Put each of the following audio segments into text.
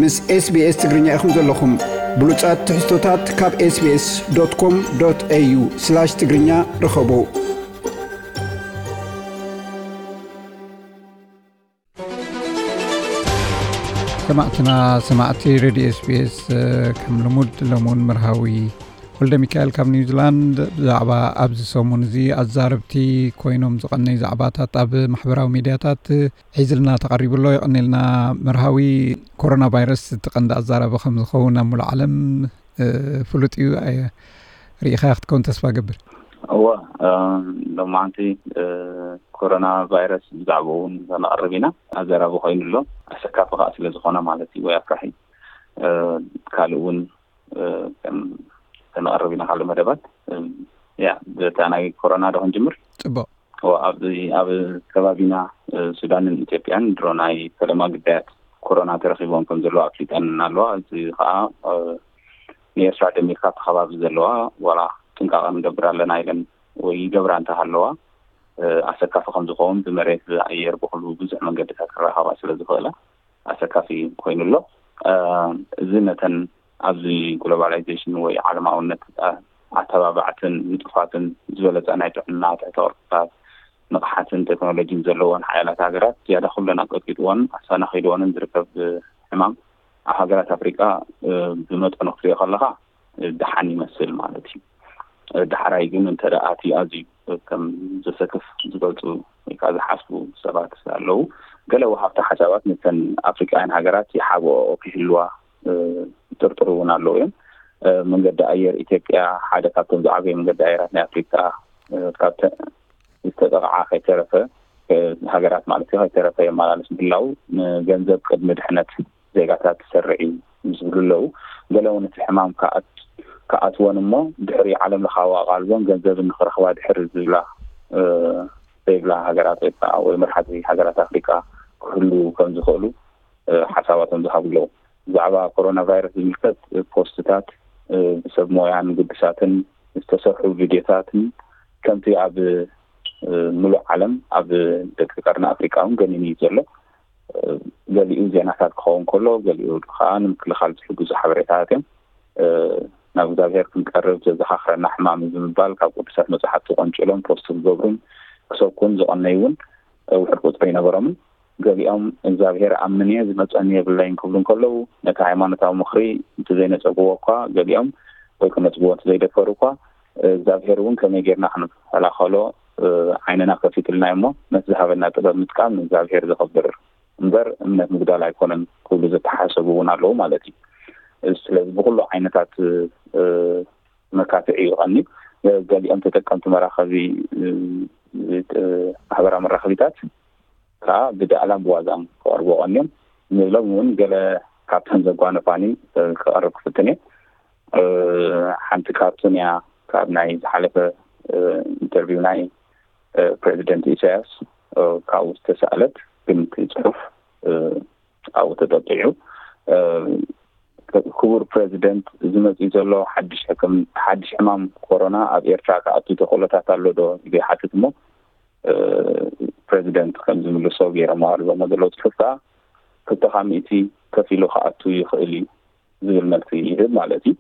ምስ SBS ትግርኛ ኢኹም ዘለኹም። ብሉጻት ትሕዝቶታት ካብ SBS.com.au/ትግርኛ ርኸቡ። ሰማዕትና፣ ሰማዕቲ ሬድዮ SBS፣ ከም ልሙድ ሎሚ እውን መርሃዊ ወልደ ሚካኤል ካብ ኒውዚላንድ ብዛዕባ ኣብዚ ሰሙን እዚ ኣዛረብቲ ኮይኖም ዝቐነዩ ዛዕባታት ኣብ ማሕበራዊ ሚድያታት ሒዝልና ተቐሪቡ ኣሎ። የቐኔልና መርሃዊ። ኮሮና ቫይረስ እቲ ቀንዲ ኣዛራቢ ከም ዝኸውን ኣብ ሙሉእ ዓለም፣ እ፣ ፍሉጥ እዩ። ኣየ-፣ ርኢኻያ ክትከውን ተስፋ ገብር። እወ፣ እ፣ ሎማዓንቲ፣ እ፣ ኮሮና ቫይረስ ብዛዕባኡ እውን ከነቕርብ ኢና። ኣዘራቢ ኮይኑ ኣሎ። ኣሰካፊ ከዓ ስለ ዝኾነ ማለት እዩ፣ ወይ ኣፍራሒ። እ፣ ካልእ እውን፣ እ፣ ከም-፣ ከነቕርብ ኢና ካልእ መደባት። እ፣ ያ፣ በታ ናይ ኮሮና ዶ ክንጅምር? ጽቡቕ። እወ፣ ኣብዚ፣ ኣብ ከባቢና፣ እ፣ ሱዳንን ኢትዮጵያን ድሮ ናይ ፈለማ ግዳያት ኮሮና ተረኺቦም ከም ዘለዋ ኣፍሊጠን ኣለዋ። እዚ ከዓ፣ እ፣ ንኤርትራ ደሚርካ ኣብቲ ከባቢ ዘለዋ ዋላ ጥንቃቐ ንገብር ኣለና ኢለን ወይ ይገብራ እንተሃለዋ፣ እ፣ ኣሰካፊ ከም ዝኸውን ብመሬት፣ ብኣየር፣ ብኹሉ ብዙሕ መንገድታት ክረኻባ ስለ ዝኽእላ ኣሰካፊ ኮይኑ ኣሎ። እ፣ እዚ ነተን ኣብዚ ግሎባላይዜሽን ወይ ዓለማውነት፣ እ፣ ኣተባባዕትን ንጡፋትን ዝበለጸ ናይ ጥዕና ትሕተ ቅርጽታት፣ ንቕሓትን ቴክኖሎጂን ዘለወን ሓያላት ሃገራት ዝያዳ ኩለን ኣቀጥቂጥዎን ኣሰናኺልዎንን ዝርከብ ሕማም ኣብ ሃገራት ኣፍሪቃ፣ እ፣ ብመጠኑ ክትሪኦ ከለኻ፣ እ፣ ደሓን ይመስል ማለት እዩ። እ፣ ዳሕራይ ግን እንተ ደኣ እቲ ኣዝዩ ከም ዘሰክፍ ዝገልጹ ወይ ከዓ ዝሓስቡ ሰባት ኣለዉ። ገለ ወሃብቲ ሓሳባት ነተን ኣፍሪቃውያን ሃገራት ይሓብኦ ክህልዋ፣ እ፣ ይጥርጥሩ እውን ኣለዉ እዮም። እ፣ መንገዲ ኣየር ኢትዮጵያ ሓደ ካብቶም ዝዓበዩ መንገዲ ኣየራት ናይ ኣፍሪቃ፣ እ፣ ካብ ተ-፣ ዝተጠቕዓ ከይተረፈ፣ እ፣ ሃገራት ማለት እዩ፣ ከይተረፈ የመላልስ ምህላው፣ ንገንዘብ ቅድሚ ድሕነት ዜጋታት ዝሰርዕ እዩ ዝብሉ ኣለዉ። ገለ እውን እቲ ሕማም ከኣት-፣ ከኣትወን እሞ ድሕሪ ዓለም ለኻዊ ኣቓልቦን ገንዘብን ንኽረኽባ ድሕሪ ዝብላ፣ እ፣ ዘይብላ ሃገራት ወይ ከዓ ወይ መርሓቲ ሃገራት ኣፍሪቃ ክህልዉ ከም ዝኽእሉ፣ እ፣ ሓሳባቶም ዝሃቡ ኣለዉ። ብዛዕባ ኮሮና ቫይረስ ዝምልከት ፖስትታት፣ እ፣ ብሰብ ሞያን ግዱሳትን ዝተሰርሑ ቪድዮታትን ከምቲ ኣብ፣ እ፣ ምሉእ ዓለም ኣብ ደቂ ቀርኒ ኣፍሪቃ እውን ገኒኑ እዩ ዘሎ። እ፣ ገሊኡ ዜናታት ክኸውን ከሎ፣ ገሊኡ ከዓ ንምክልኻል ዝሕግዙ ሓበሬታታት እዮም። እ፣ ናብ እግዚኣብሔር ክንቀርብ ዘዘኻኽረና ሕማም እዩ ብምባል ካብ ቅዱሳት መጽሓፍቲ ቆንጭሎም ፖስት ዝገብሩን ክሰብኩን ዝቐነዩ እውን፣ እ፣ ውሑድ ቁጽሪ ኣይነበሮምን። ገሊኦም እግዚኣብሔር ኣምን እየ ዝመጸኒ የብለይን ክብሉ እንከለዉ፣ ነቲ ሃይማኖታዊ ምኽሪ እንተዘይነጸግዎ እኳ፣ ገሊኦም ወይ ክነጽግዎ እንተዘይደፈሩ እኳ፣ እግዚኣብሔር እውን ከመይ ጌርና ክንከላኸሎ፣ እ፣ ዓይንና ከፊትልና እሞ፣ ነቲ ዝሃበና ጥበብ ምጥቃም ንእግዚኣብሔር ዘኸብር እምበር እምነት ምጉዳል ኣይኮነን ክብሉ ዝተሓሰቡ እውን ኣለዉ ማለት እዩ። ስለዚ ብኩሉ ዓይነታት፣ እ፣ መካትዒ እዩ ቀንዩ። ገሊኦም ተጠቀምቲ መራኸቢ፣ እ፣ እ፣ ማሕበራዊ መራኸቢታት ከዓ ብዳእላን ብዋዛን ክቐርቡ ቀንዮም። ንሎም እውን ገለ ካብተን ዘጓነፋኒ፣ እ፣ ክቐርብ ክፍትን እየ። እ፣ ሓንቲ ካርቱን እያ ካብ ናይ ዝሓለፈ፣ እ፣ ኢንተርቪው ናይ፣ እ፣ ፕሬዚደንት ኢሳያስ፣ እ፣ ካብኡ ዝተሳእለት፣ ግን እቲ ጽሑፍ፣ እ፣ ኣብኡ ተጠቂዑ። እ፣ ክቡር ፕሬዚደንት፣ እዚ መጺኡ ዘሎ ሓድሽ ሕክም-፣ ሓድሽ ሕማም ኮሮና ኣብ ኤርትራ ክኣቱ ተኽእሎታት ኣሎ ዶ? ኢሉ ይሓትት እሞ፣ እ፣ ፕሬዚደንት ከም ዝምልሶ ገይሮም ኣቕሪቦሞ ዘለዉ ጽሑፍ ከኣ፣ ክልተ ካብ ሚእቲ ከፊሉ ክኣቱ ይኽእል እዩ ዝብል መልሲ ይህብ ማለት እዩ።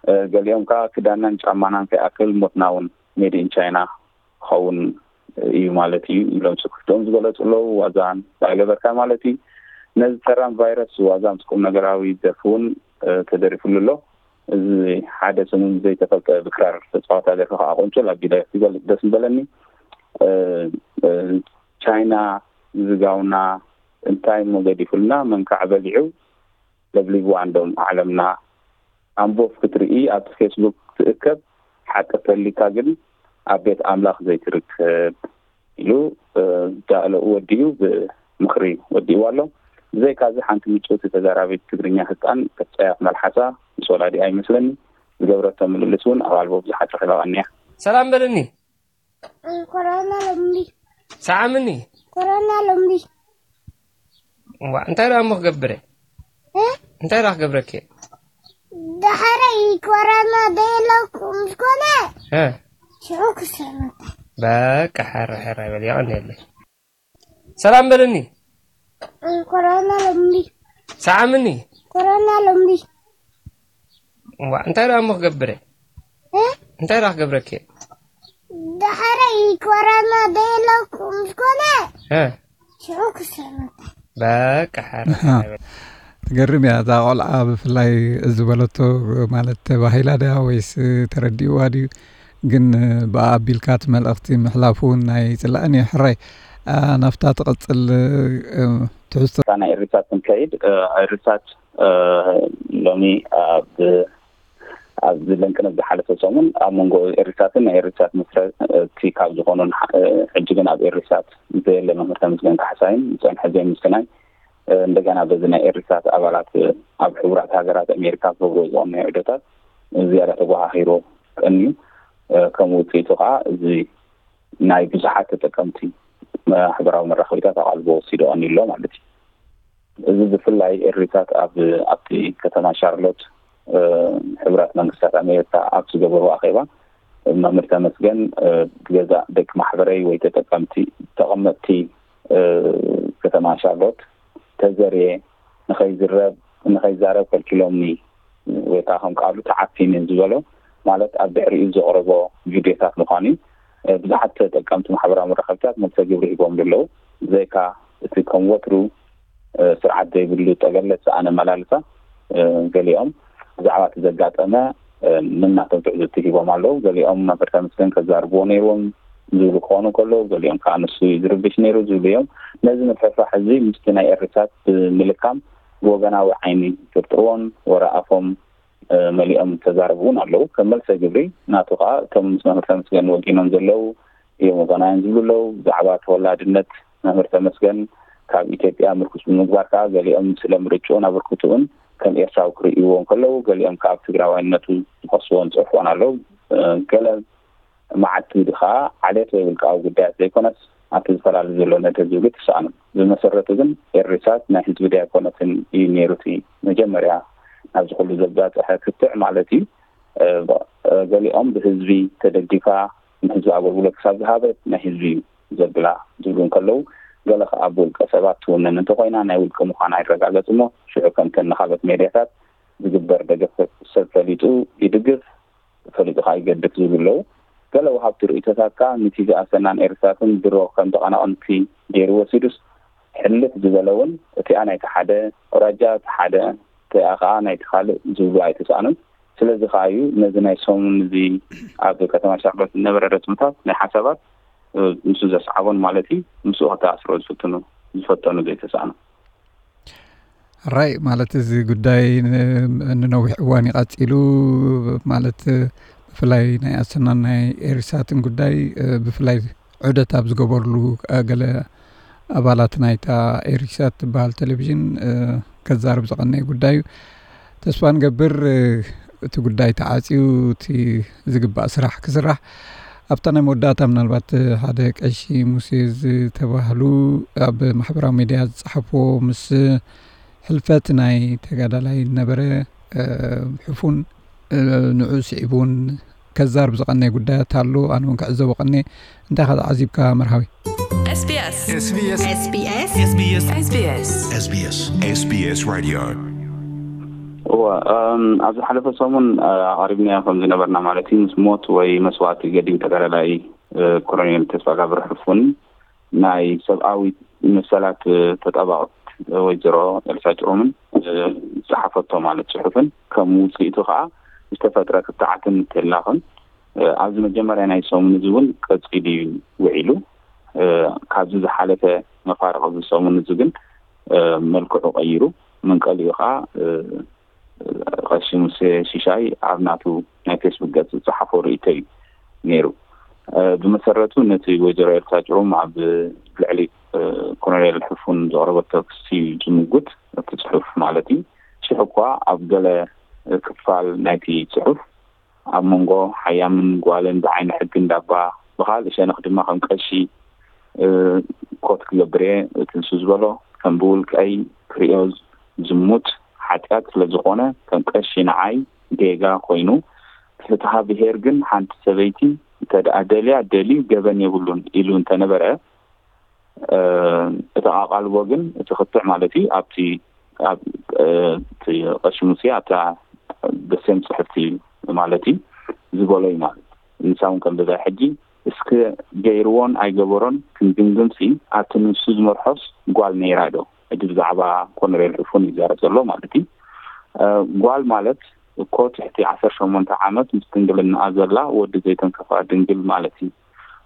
እ፣ ገሊኦም ከኣ ክዳናን ጫማናን ከይኣክል ሞትና እውን ሜድ ኢን ቻይና ክኸውን እዩ ማለት እዩ ኢሎም ስክፍትኦም ዝገለጹ ኣለዉ። ዋዛን ኣይገበርካ ማለት እዩ። ነዚ ተራም ቫይረስ ዋዛ ምስ ቁም ነገራዊ ደርፊ እውን፣ እ፣ ተደሪፉሉ ኣሎ። እዚ ሓደ ሰሙን ዘይተፈልጠ ብክራር ተጻዋታ ደርፊ ከኣ ቆንጨል ኣቢለ ክገልጽ ደስ ምበለኒ። እ፣ እ፣ ቻይና ዝጋውና እንታይ እሞ ገዲፉልና፣ መንካዕ በሊዑ ለብሊቡ ኣንዶም ዓለምና። ኣንቦፍ ክትርኢ ኣብቲ ፌስቡክ ትእከብ፣ ሓቂ ተሊካ ግን ኣብ ቤት ኣምላኽ ዘይትርከብ ኢሉ፣ እ፣ ዳእለኡ ወዲኡ ብምኽሪ ወዲእዋ ኣሎ። ብዘይካዚ ሓንቲ ምጭውቲ ተዛራቢት ትግርኛ ህጻን ጸያፍ መልሓሳ ምስ ወላዲኣ ይመስለኒ ዝገብረቶ ምልልስ እውን ኣብ ኣልቦ ብዙሓት ረኺባ ቀኒያ። ሰላም በልኒ። ኮሮና ሎምዲ። ሰዓምኒ። ኮሮና ሎምዲ። ዋ፣ እንታይ ደኣ እሞ ክገብር እየ? እ? እንታይ ደኣ ክገብረኪ እየ? ዳሕረይ ኮሮና ደየለኩም ዝኾነ? እ? ሽዑ ክሰረታ። በቃ፣ ሕረ፣ ሕረ በል፣ የቐንየለይ። ሰላም በልኒ። ኮሮና ሎምዲ። ሰዓምኒ። ኮሮና ሎምቢ ዋ እንታይ ደኣ እሞ ክገብረ እንታይ ደኣ ክገብረኪ ዳሕረይ ኮሮና ደየለኩም ዝኾነ እ ሽዑ ክሰረታ በቃ ሓራ ትገርም እያ እዛ ቆልዓ። ብፍላይ ዝበለቶ ማለት ተባሂላ ድያ ወይስ ተረዲእዋ ድዩ? ግን ብኣ ኣቢልካ እቲ መልእኽቲ ምሕላፍ እውን ናይ ፅላእን እዩ። ሕራይ ናፍታ ትቐፅል ትሕዝቶ ናይ ኤሪሳት ክንከይድ ኤሪሳት ሎሚ ኣብ ኣብዚ ለንቅነት ዝሓለፈ ሰሙን ኣብ መንጎ ኤሪሳትን ናይ ኤሪሳት መስረቲ ካብ ዝኾኑን ሕጂ ግን ኣብ ኤሪሳት ዘየለ መምህር ተመስገን ካሕሳይን ዝፀንሐ ዘይምስናይ እንደገና በዚ ናይ ኤሪሳት ኣባላት ኣብ ሕቡራት ሃገራት ኣሜሪካ ክገብሮ ዝቐነዩ ዕዶታት ዝያዳ ተጓሃሂሩ ቀንዩ። ከም ውፅኢቱ ከዓ እዚ ናይ ብዙሓት ተጠቀምቲ ማሕበራዊ መራኸቢታት ኣቓልቦ ወሲዱ ቀንዩ ኣሎ ማለት እዩ። እዚ ብፍላይ ኤሪሳት ኣብ ኣብቲ ከተማ ሻርሎት ሕቡራት መንግስታት ኣሜሪካ ኣብ ዝገበሩ ኣኼባ መምህር ተመስገን ብገዛእ ደቂ ማሕበረይ ወይ ተጠቀምቲ ተቐመጥቲ ከተማ ሻርሎት ተዘርየ ንኸይዝረብ ንኸይዛረብ ከልኪሎምኒ ወይ ከዓ ከም ቃሉ ተዓፊኒ ዝበሎ ማለት ኣብ ድሕሪኡ ዘቕረቦ ቪድዮታት ምዃኑ እዩ። ብዙሓት ተጠቀምቲ ማሕበራዊ መራኸብታት መልሰ ግብሪ ሂቦም ኣለዉ። ብዘይካ እቲ ከም ወትሩ ስርዓት ዘይብሉ ጠገለ ዝሰኣነ ኣመላልሳ ገሊኦም ብዛዕባ እቲ ዘጋጠመ ነናቶም ትዕዝብቲ ሂቦም ኣለዉ። ገሊኦም መምህር ተመስገን ከዛርብዎ ነይርዎም ዝብሉ ክኾኑ ከለዉ፣ ገሊኦም ከዓ ንሱ እዩ ዝርብሽ ነይሩ ዝብሉ እዮም። ነዚ ምፍሕፋሕ እዚ ምስቲ ናይ ኤሪሳት ብምልካም ብወገናዊ ዓይኒ ይጥርጥርዎን ወረ ኣፎም መሊኦም ተዛረቡ እውን ኣለዉ። ከም መልሰ ግብሪ ናቱ ከዓ እቶም ምስ መምህር ተመስገን ወጊኖም ዘለዉ እዮም ወገናውያን ዝብሉ ኣለዉ። ብዛዕባ ተወላድነት መምህር ተመስገን ካብ ኢትዮጵያ ምርኩስ ብምግባር ከዓ ገሊኦም ስለ ምርጭኡን ኣበርክትኡን ከም ኤርትራዊ ክርእይዎ እንከለዉ፣ ገሊኦም ከዓ ኣብ ትግራዋይነቱ ዝኸስዎን ዝፅሕፎን ኣለዉ። ገለ መዓት ከዓ ዓሌት ወይ ውልቃዊ ጉዳያት ዘይኮነስ ኣብቲ ዝፈላለ ዘሎ ነድሪ ዝብል ትሰኣኑ። ብመሰረቱ ግን ኤሪሳት ናይ ህዝቢ ድያ ኣይኮነትን እዩ ነይሩ እቲ መጀመርያ ናብዚ ኩሉ ዘባፅሐ ክትዕ ማለት እዩ። ገሊኦም ብህዝቢ ተደጊፋ ንህዝቢ ኣገልግሎት ክሳብ ዝሃበት ናይ ህዝቢ እዩ ዘብላ ዝብሉ እንከለዉ፣ ገለ ከዓ ብውልቀ ሰባት ትውነን እንተኮይና ናይ ውልቂ ምዃና ይረጋገፅ እሞ ሽዑ ከምተን ንካልኦት ሜድያታት ዝግበር ደገፍ ሰብ ፈሊጡ ይድግፍ ፈሊጡ ከዓ ይገድፍ ዝብሉ ኣለዉ። ገለ ወሃብቲ ርእይቶታት ከዓ ንቲ ዝኣሰናን ኤርትራትን ድሮ ከም ተቐናቐንቲ ገይሩ ወሲዱስ ሕልፍ ዝበለ እውን እቲኣ ናይቲ ሓደ ኣውራጃ እቲ ሓደ እቲኣ ከዓ ናይቲ ካልእ ዝብሉ ኣይተሰኣኑን። ስለዚ ከዓ እዩ ነዚ ናይ ሰሙን እዚ ኣብ ከተማ ሻርሎት ዝነበረ ረትምታት ናይ ሓሳባት ምስ ዘስዓቦን ማለት እዩ ምስኡ ከተኣስሮ ዝፍትኑ ዝፈተኑ ዘይተሰኣኑ። ራይ ማለት እዚ ጉዳይ ንነዊሕ እዋን ይቐፂሉ ማለት ብፍላይ ናይ ኣሰናን ናይ ኤሪሳትን ጉዳይ ብፍላይ ዑደት ኣብ ዝገበርሉ ገለ ኣባላት ናይታ ኤሪሳት ትበሃል ቴሌቪዥን ከዛርብ ዝቐነየ ጉዳይ እዩ። ተስፋ ንገብር እቲ ጉዳይ ተዓፅዩ እቲ ዝግባእ ስራሕ ክስራሕ ኣብታ ናይ መወዳእታ ምናልባት ሓደ ቀሺ ሙሴ ዝተባህሉ ኣብ ማሕበራዊ ሚድያ ዝፀሓፍዎ ምስ ሕልፈት ናይ ተጋዳላይ ነበረ ሕፉን ንዑ ስዒቡ እውን ከዛርብ ዝቐነየ ጉዳያት ኣሎ። ኣነ እውን ክዕዘቦ ቀነየ። እንታይ ኢኻ ተዓዚብካ መርሃዊ? SBS SBS SBS Radio እወ ኣብዚ ሓለፈ ሰሙን ኣቃሪብናዮ ከም ዝነበርና ማለት እዩ ምስ ሞት ወይ መስዋእቲ ገዲም ተጋዳላይ ኮሎኔል ተስፋጋብር ሕፉን ናይ ሰብኣዊ መሰላት ተጣባቕት ወይዘሮ ኤልሳ ጭሩምን ዝፀሓፈቶ ማለት ፅሑፍን ከም ውፅኢቱ ከዓ ዝተፈጥረ ክትዓትን ተላኽን ኣብዚ መጀመርያ ናይ ሰሙን እዚ እውን ቀፂሉ እዩ ውዒሉ። ካብዚ ዝሓለፈ መፋርቕ እዚ ሰሙን እዚ ግን መልክዑ ቀይሩ መንቀሊኡ ከዓ ቀሺ ሙሴ ሽሻይ ኣብ ናቱ ናይ ፌስቡክ ገፅ ዝፀሓፎ ርእይቶ እዩ ነይሩ። ብመሰረቱ ነቲ ወይዘሮ ኤልሳ ጭሩም ኣብ ልዕሊ ኮሎኔል ሕፉን ዘቕረበቶ ክሲ እዩ ዝምጉት እቲ ፅሑፍ ማለት እዩ። ሽሕ እኳ ኣብ ገለ ክፋል ናይቲ ፅሑፍ ኣብ መንጎ ሓያምን ጓልን ብዓይኒ ሕጊ እንዳባ ብኻልእ ሸነኽ ድማ ከም ቀሺ ኮት ክገብር እየ እቲ ንሱ ዝበሎ ከም ብውልቀይ ክርእዮ ዝሙት ሓጢኣት ስለ ዝኾነ ከም ቀሺ ንዓይ ጌጋ ኮይኑ ፍትሃ ብሄር ግን ሓንቲ ሰበይቲ እንተ ደኣ ደልያ ደልዩ ገበን የብሉን ኢሉ እንተነበረ እቲ ኣቓልቦ ግን እቲ ክትዕ ማለት እዩ ኣብቲ ኣብ እቲ ቀሺ ሙሴ ኣብታ በሴም ጽሕፍቲ ማለት እዩ ዝበሎ እዩ ማለት እዩ። ንሳ እውን ከም በዛ ሕጂ እስከ ገይርዎን ኣይገበሮን ክንግምግምሲ ኣብቲ ንሱ ዝመርሖስ ጓል ነይራ ዶ? ሕጂ ብዛዕባ ኮነሬል ሕፉን ይዛረብ ዘሎ ማለት እዩ። ጓል ማለት እኮ ትሕቲ ዓሰርተ ሸሞንተ ዓመት ምስ ድንግልናኣ ዘላ ወዲ ዘይተንከፋ ድንግል ማለት እዩ።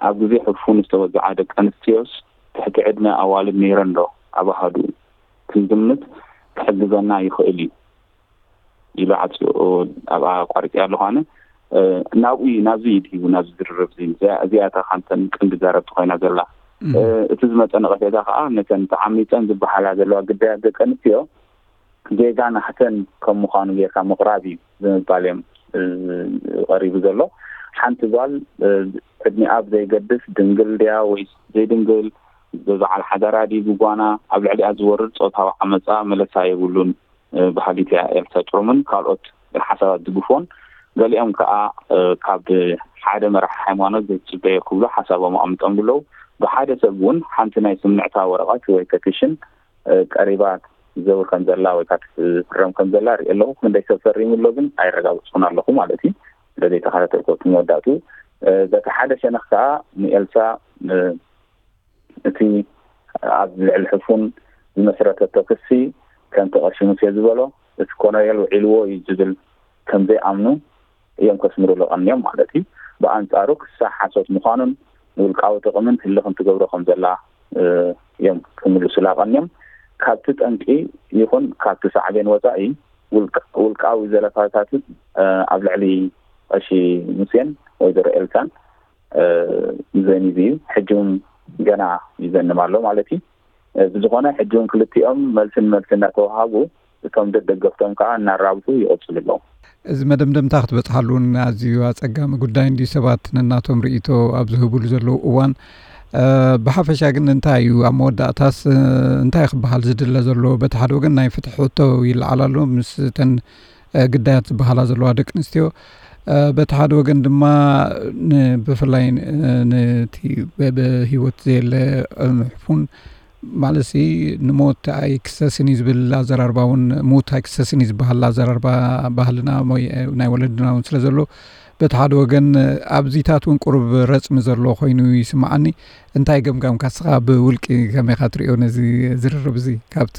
ኣብ ግዜ ሕፉን ዝተወዝዓ ደቂ ኣንስትዮስ ትሕቲ ዕድመ ኣዋልድ ነይረን ዶ? ኣብ ኣሃዱ ክንግምት ክሕግዘና ይኽእል እዩ ኢሉ ዓጽዩ ኣብ ኣቋሪጽ ኣለኹ ኣነ። ናብኡ ናብዚ እዩ ድሂቡ ናብዚ ዝርርብ እዚ እዚኣታ ካብተን ቀንዲ ዛረብቲ ኮይና ዘላ። እቲ ዝመፀ ነቐፌታ ከዓ ነተን ተዓሚፀን ዝበሃላ ዘለዋ ግዳያት ደቂ ኣንስትዮ ጌጋ ናሕተን ከም ምዃኑ ጌርካ ምቕራብ እዩ ብምባል እዮም ቀሪቡ ዘሎ። ሓንቲ ጓል ዕድሚኣ ብዘይገድስ ድንግል ድያ ወይ ዘይድንግል፣ ብበዓል ሓዳራ ድዩ ብጓና፣ ኣብ ልዕሊኣ ዝወርድ ፆታዊ ዓመፃ መለሳ የብሉን በሃሊት እያ ኤልሳ ጭሩምን ካልኦት ሓሳባት ዝግፎን። ገሊኦም ከዓ ካብ ሓደ መራሒ ሃይማኖት ዘይትፅበዮ ክብሉ ሓሳቦም ኣቐሚጦም ብለው። ብሓደ ሰብ እውን ሓንቲ ናይ ስምዕታ ወረቐት ወይ ፐቲሽን ቀሪባ ዘውር ከም ዘላ ወይ ከዓ ትፍረም ከም ዘላ ርኢ ኣለኹ። ክንደይ ሰብ ፈሪሙ ኣሎ ግን ኣይረጋግፅኩን ኣለኹ ማለት እዩ። ስለዘይተኸታተልኩ እቲ መወዳእቱ በቲ ሓደ ሸነኽ ከዓ ንኤልሳ እቲ ኣብ ልዕሊ ሕፉን ዝመስረተቶ ክሲ ከምቲ ቀሺ ሙሴ ዝበሎ እቲ ኮሎኔል ውዒልዎ እዩ ዝብል ከም ዘይኣምኑ እዮም ከስምሩሉ ቀንዮም ማለት እዩ። ብኣንጻሩ ክሳ ሓሶት ምዃኑን ውልቃዊ ጥቕምን ህልኽን ትገብሮ ከም ዘላ እዮም ክምልሱላ ቀንዮም። ካብቲ ጠንቂ ይኹን ካብቲ ሳዕቤን ወፃኢ ውልቃዊ ዘለፋታት ኣብ ልዕሊ ቀሺ ሙሴን ወይዘሮ ኤልሳን ዘኒብ እዩ። ሕጂ እውን ገና ይዘንብ ኣሎ ማለት እዩ። ብዝኾነ ሕጂ እውን ክልቲኦም መልስን መልሲ እናተዋሃቡ እቶም ደደገፍቶም ከዓ እናራብሑ ይቕፅሉ ኣለዉ። እዚ መደምደምታ ክትበፅሓሉ እውን ኣዝዩ ኣፀጋሚ ጉዳይ እንዲ ሰባት ነናቶም ርእይቶ ኣብ ዝህብሉ ዘለዉ እዋን ብሓፈሻ ግን እንታይ እዩ ኣብ መወዳእታስ እንታይ ክበሃል ዝድለ ዘሎ? በቲ ሓደ ወገን ናይ ፍትሒ ሕቶ ይለዓል ኣሎ ምስ ተን ግዳያት ዝበሃላ ዘለዋ ደቂ ኣንስትዮ፣ በቲ ሓደ ወገን ድማ ብፍላይ ነቲ ብህይወት ዘየለ ሕፉን ማለት ንሞት ኣይክሰስን እዩ ዝብል ኣዘራርባ እውን፣ ሙት ኣይክሰስን እዩ ዝበሃል ኣዘራርባ ባህልና ናይ ወለድና እውን ስለ ዘሎ፣ በቲ ሓደ ወገን ኣብዚታት እውን ቁሩብ ረፅሚ ዘሎ ኮይኑ ይስምዓኒ። እንታይ ገምጋምካ ንስኻ ብውልቂ ከመይ ኢኻ ትሪኦ ነዚ ዝርርብ እዚ? ካብቲ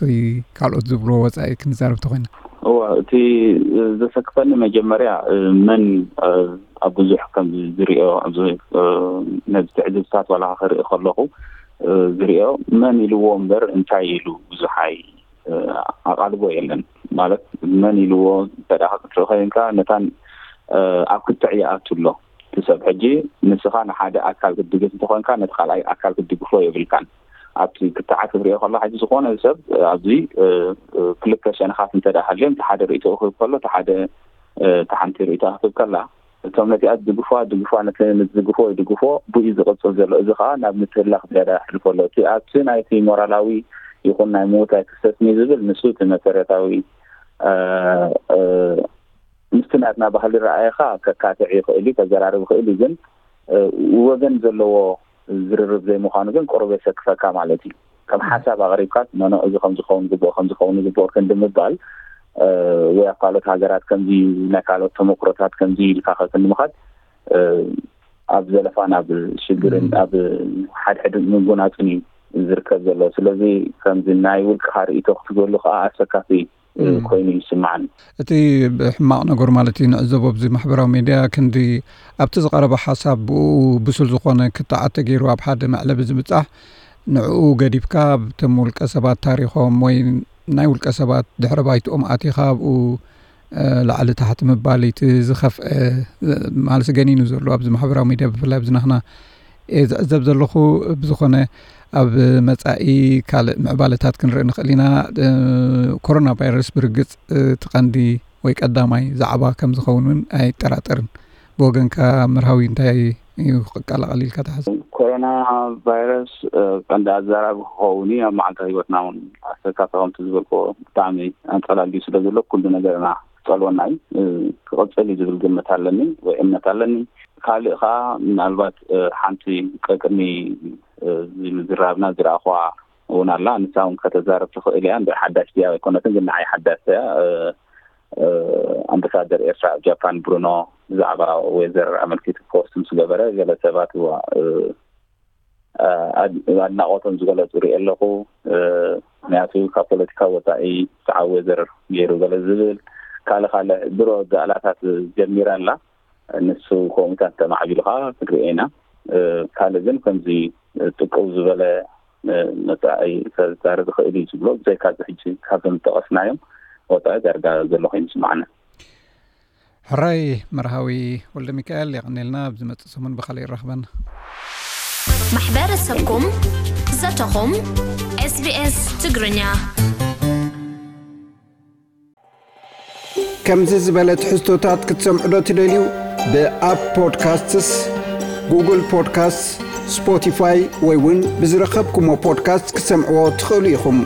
ካልኦት ዝብልዎ ወፃኢ ክንዛረብ ተኮይና። እወ፣ እቲ ዘሰክፈኒ መጀመርያ መን ኣብ ብዙሕ ከም ዝሪኦ ነዚ ትዕዝብታት ዋላ ክርኢ ከለኹ ዝሪኦ መን ኢልዎ እምበር እንታይ ኢሉ ብዙሕ ኣይ ኣቓልቦ የለን። ማለት መን ኢልዎ እንተ ደኣ ክትርኢ ኮይንካ ነታን ኣብ ክትዕ ይኣቱ ኣሎ እቲ ሰብ። ሕጂ ንስኻ ንሓደ ኣካል ክትድግፍ እንተኾንካ ነቲ ካልኣይ ኣካል ክትድግፎ የብልካን። ኣብቲ ክትዓ ክትሪኦ ከሎ ሕጂ ዝኾነ ሰብ ኣብዚ ክልተ ሸነኻት እንተ ደኣ ሃልዮም እቲ ሓደ ርእይቶ ክህብ ከሎ እቲ ሓደ እቲ ሓንቲ ርእይቶ ክትህብ ከላ እቶም ነቲኣ ዝድግፉዋ ድግፉዋ ነቲ ንዝድግፎ ይድግፎ ብኡ ዝቕፅል ዘሎ። እዚ ከዓ ናብ ምትህላኽ ዝያዳ የሕልፎ ኣሎ። እቲ ኣብቲ ናይቲ ሞራላዊ ይኹን ናይ ምውታይ ክሰስኒ ዝብል ንሱ እቲ መሰረታዊ ምስቲ ናትና ባህሊ ረኣየኻ ከካትዕ ይኽእል እዩ ከዘራርብ ይኽእል እዩ። ግን ወገን ዘለዎ ዝርርብ ዘይምዃኑ ግን ቁሩብ የሰክፈካ ማለት እዩ። ከም ሓሳብ ኣቕሪብካ ኖኖ እዚ ከም ዝኸውን ግብኦ ከም ዝኸውን ግብኦ ክንዲ ምባል ወይ ኣብ ካልኦት ሃገራት ከምዚ ናይ ካልኦት ተመክሮታት ከምዚ ኢልካ ከክንዲ ምኻድ ኣብ ዘለፋን ኣብ ሽግርን ኣብ ሓድሕድ ምጉናፅን እዩ ዝርከብ ዘሎ። ስለዚ ከምዚ ናይ ውልቅኻ ርእይቶ ክትህበሉ ከዓ ኣሰካፊ ኮይኑ ይስምዓኒ። እቲ ሕማቕ ነገር ማለት እዩ ንዕዘቦ ኣብዚ ማሕበራዊ ሜድያ ክንዲ ኣብቲ ዝቐረበ ሓሳብ ብኡ ብሱል ዝኾነ ክትዓት ተገይሩ ኣብ ሓደ መዕለቢ ዝብጻሕ ንዕኡ ገዲፍካ ኣብቶም ውልቀ ሰባት ታሪኾም ወይ ናይ ውልቀ ሰባት ድሕረ ባይትኦም ኣቲኻ ኣብኡ ላዕሊ ታሕቲ ምባል እቲ ዝኸፍአ ማለት ገኒኑ ዘሎ ኣብዚ ማሕበራዊ ሚድያ ብፍላይ ኣብዚ ናህና እየ ዝዕዘብ ዘለኹ። ብዝኾነ ኣብ መጻኢ ካልእ ምዕባለታት ክንርኢ ንኽእል ኢና። ኮሮና ቫይረስ ብርግጽ እቲ ቀንዲ ወይ ቀዳማይ ዛዕባ ከም ዝኸውን እውን ኣይጠራጠርን። ብወገንካ መርሃዊ እንታይ እዩ ክቀላቐል ኢልካ ትሓስብ? ኮሮና ቫይረስ ቀንዲ ኣዘራቢ ክኸውን እዩ። ኣብ መዓልታዊ ህይወትና እውን ኣሰካፊ ከምቲ ዝበልክዎ ብጣዕሚ ኣንጸላልዩ ስለ ዘሎ ኩሉ ነገርና ክጸልወና እዩ ክቕጽል እዩ ዝብል ግምት ኣለኒ ወይ እምነት ኣለኒ። ካልእ ከዓ ምናልባት ሓንቲ ቀቅድሚ እዚ ምዝራብና ዝረኣኽዋ እውን ኣላ። ንሳ እውን ከተዛረብ ትኽእል እያ። እንደ ሓዳሽ ድያ ኣይኮነትን፣ ግን ንዓይ ሓዳሽ እያ። ኣምባሳደር ኤርትራ ኣብ ጃፓን ብሩኖ ብዛዕባ ዌዘር ኣመልኪቱ ፖስት ምስ ገበረ፣ ገለ ሰባት ኣድናቆቶም ዝገለጹ ርኢ ኣለኹ። ምክንያቱ ካብ ፖለቲካ ወፃኢ ሰዓብ ዌዘር ገይሩ ገለ ዝብል ካልእ ካልእ ድሮ ጋእላታት ጀሚራ ኣላ። ንሱ ከምኡታት ተማዕቢሉ ከዓ ክንሪኦ ኢና። ካልእ ግን ከምዚ ጥቅው ዝበለ መፃኢ ከዛረብ ዝኽእል እዩ ዝብሎ ብዘይካ እዚ ሕጂ ካብዞም ዝጠቐስናዮም ወፃኢ ዳርጋ ዘሎ ኮይኑ ይስማዓና። ሕራይ መርሃዊ ወልደ ሚካኤል፣ የቐኔልና። ኣብ ዝመፅእ ሰሙን ብኻልእ ይራኽበና። ማሕበረሰብኩም ዘተኹም ኤስቢኤስ ትግርኛ። ከምዚ ዝበለ ትሕዝቶታት ክትሰምዑ ዶ ትደልዩ? ብኣፕ ፖድካስትስ፣ ጉግል ፖድካስትስ፣ ስፖቲፋይ ወይ እውን ብዝረኸብኩሞ ፖድካስት ክትሰምዕዎ ትኽእሉ ኢኹም።